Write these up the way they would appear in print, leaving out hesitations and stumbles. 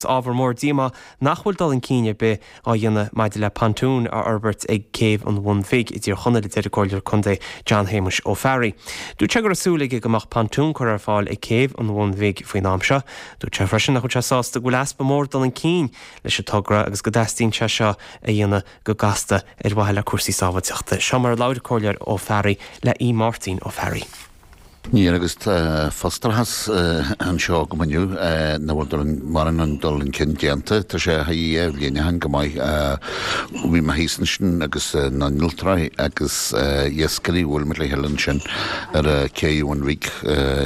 Ábhar mór díomá nach bhfuil dul chun cinn ar bith á dhéanamh maidir le pontún a fhorbairt ag Céibh an Bhun Bhig i dTír Chonaill, a deir an Comhairleoir Contae John Shéamuis Ó Fearraigh. Dúirt sé go raibh súil aige go mbeadh pontún curtha ar fáil ag Céibh an Bhun Bhig faoin am seo. Dúirt sé freisin nach bhfuil sé sásta go bhfuil easpa mór dul chun cinn leis an togra agus go dteastaíonn sé seo a dhéanamh go gasta ar mhaithe le cúrsaí sábháilteachta. Seo mar a labhair an Comhairleoir Ó Fearraigh le Aodh Máirtín Ó Fearraigh. Níl agus tá frustrachas anseo agam inniu nach bhfuil mórán an dul chun cinn déanta. Tá sé thar dhá bhliain ó shin go maith. Bhí mé thíos ansin agus na n-innealtóirí agus iascairí, bhuail muid le chéile ansin ar Cé an Bhun Bhig.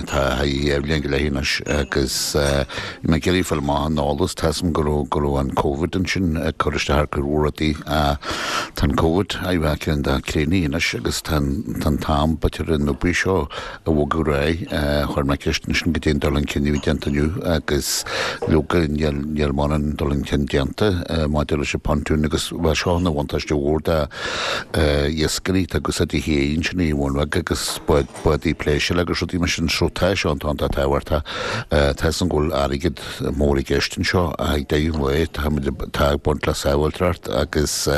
Tá thar dhá bhliain go leith anois agus bhí mé ag iarraidh fáil amach an eolas. Tá 'fhios a'm go raibh go raibh an Covid ansin ag cur isteach ar cuid mhór rudaí. Tá an Covid a bheith ceann de críochnaithe anois agus tá an t-am b'fhéidir an obair seo a bhogadh ar aghaidh. Chuir mé ceist ansin goidé an dul chun cinn a bhí déanta inniu agus leoga níl níl mórán dul chun cinn déanta maidir leis an pontoon agus bheadh seo ina bhuntáiste mhór do iascairí atá ag úsáid an ché ansin i mBun Bheag agus bádaí pléisiúir agus rudaí mar sin so tá seo iontach tábhachtach. Tá 'fhios a'm go bhfuil airgead mór i gceist anseo ach ag deireadh an lae tá muid tá ag baint le sábháilteacht agus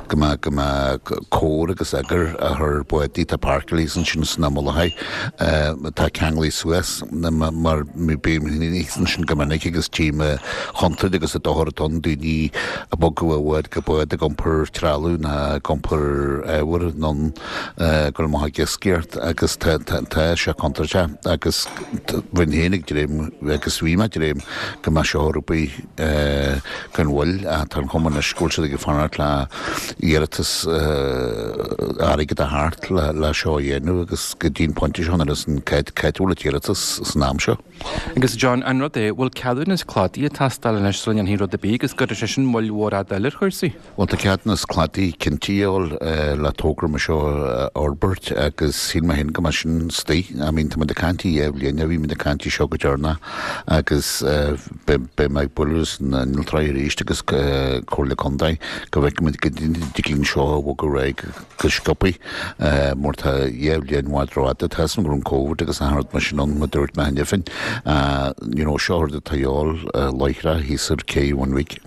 go mbeadh go mbeadh cóir agus eagar á chur bádaí atá páirceáilte ansin sna mullachaí atá ceanglaithe suas mar bím thíos ansin go minic agus tchím an chontúirt agus an dochar atá ann daoine ag bogadh ó bhád go bád ag iompar trealamh ná ag iompar ábhair anonn ag dul amach ag iascaireacht agus tá sé contúirteach agus bheinn féin ag dréim agus bhí mé ag dréim go mbeadh seo ar obair gan mhoill ach tá an chuma anois go bhfuil siad ag fanacht le iarratas airgead a theacht le seo a dhéanamh agus go dtí an pointe seo níl 'fhios a'm cá fhad a bhfuil an t-iarratas san am seo. Agus John, an rud é, bhfuil ceadúnas cladaigh ag teastáil anois sula ndéanfaí rud ar bith agus gcuirfidh sé sin moill mhór fhada eile ar chúrsaí? Bhuel, tá ceadúnas cladaigh cinnte a dhíobháil le togra mar seo a fhorbairt agus shíl mé féin go mbeadh sin istigh. I mean, tá muid ag caint ar dhá bhliain, bhí muid ag caint air seo go deireanach agus beidh mé ag bualadh leis na n-innealtóirí arís agus Comhairle Contae go bhfeicfidh muid go dtig linn seo a bhogadh ar aghaidh go sciobthaí mar tá dhá bhliain i bhfad rófhada. Tá 'fhios a'm go raibh an Covid agus achan rud mar sin ann, mar dúirt mé cheana féin. You know, seo rud atá a dhíobháil láithreach thíos ar Cé Bhun Bhig.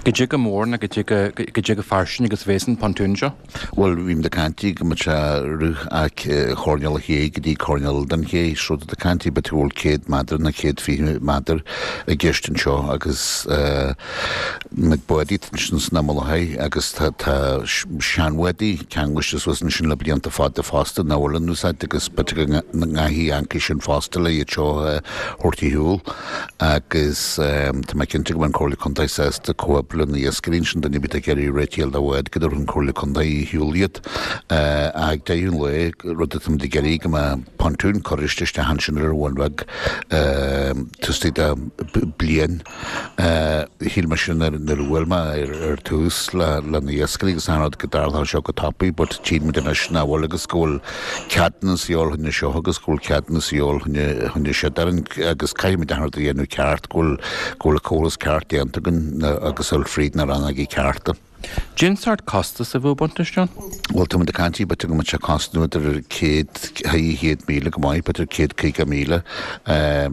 Goidé chomh mór nó goidé goidé chomh fairsing agus a bhéas an pontún seo. Bhuel, bhí muid ag caint go mbeadh sé rith ó choirnéal an ché go dtí coirnéal den ché, so tá caint b'fhéidir go bhfuil 100 méadar nó 120 méadar i gceist anseo agus na bádaí atá ansin sna mullachaí agus tá seanbhádaí ceangailte suas ansin le blianta fada fosta nach bhfuil in úsáid agus b'fhéidir go ngearrfaí ancaí sin fosta le iad seo a thabhairt ar shiúl. Agus tá mé cinnte go mbeidh an Comhairle Contae sásta comhoibriú le na iascairí ansin, duine ar bith atá ag iarraidh réitigh a fháil do bhád go dtabharfaidh an Comhairle Contae ar shiúl iad. Ach ag deireadh an lae, rud atá muid ag iarraidh go mbeadh pontún curtha isteach ansin ar an Bhun Bheag taobh istigh de bliain. Shíl mé sin nuair a bhuail mé ar tús le na iascairí agus achan rud go dtarlódh seo go tapaidh but tchíonn muid anois nach bhfuil agus go bhfuil ceadúnas a dhíobháil fá choinne seo agus go bhfuil ceadúnas a dhíobháil fá choinne siúd ar an agus caithfidh muid achan rud a dhéanamh ceart, go bhfuil go bhfuil an córas ceart déanta againn agus dul fríd na rannógaí cearta. Cén sórt costas a bheadh ag baint leis, John? Bhuel, tá muid ag caint, b'fhéidir go mbeadh sé ag cosnú idir 100, 100,000 go maith, b'fhéidir 150,000,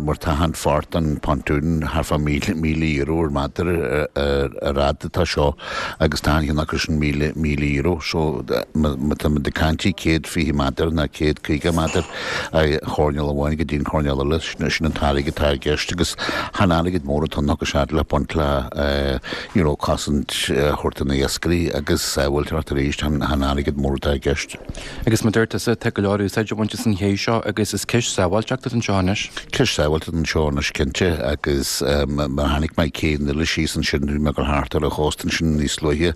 mar tá achan pháirt den pontoon thart fá €1,000 ar méadar ar fhad atá seo. agus tá achan cheann acu sin €1,000. So, má tá muid ag caint 120 méadar nó 150 méadar ó choirnéal amháin go dtí an coirnéal eile, sin an t-airgead atá i gceist agus chan airgead mór atá ann agus fhad le baint le you know cosaint a thabhairt do na iascairí agus sábháilteacht arís, chan airgead mór atá i gceist. Agus mar dúirt tusa, tá go leor úsáid á baint as an ché seo agus is ceist sábháilteachta atá anseo anois. Ceist sábháilteachta anseo anois cinnte agus mar a chonaic mé cé an uile síos ansin, bhí mé ag dul thart ar an chósta ansin níos luaithe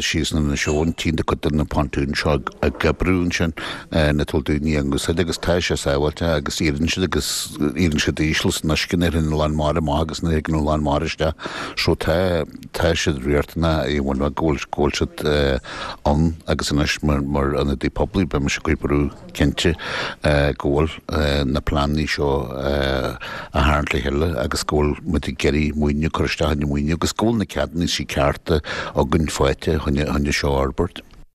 síos in Inis Eoghain, tchíonn tú cuid de na pontúin seo ag oibriú ansin na bhfuil daoine á n-úsáid agus tá sé sábháilte agus éiríonn siad agus éiríonn siad íseal san uisce nuair a théann an lán mara amach agus nuair a thagann an lán mara isteach so tá Tá siad riachtanach i bhfad go bhfuil go bhfuil siad ann agus anois mar mar ionadaí poiblí beidh mise ag cur brú cinnte go bhfuil na pleananna seo á tharraingt le chéile agus go bhfuil muid ag iarraidh maoiniú cur isteach in maoiniú agus go bhfuil na ceadúnaisí cearta againn faighte chun chun seo a fhorbairt.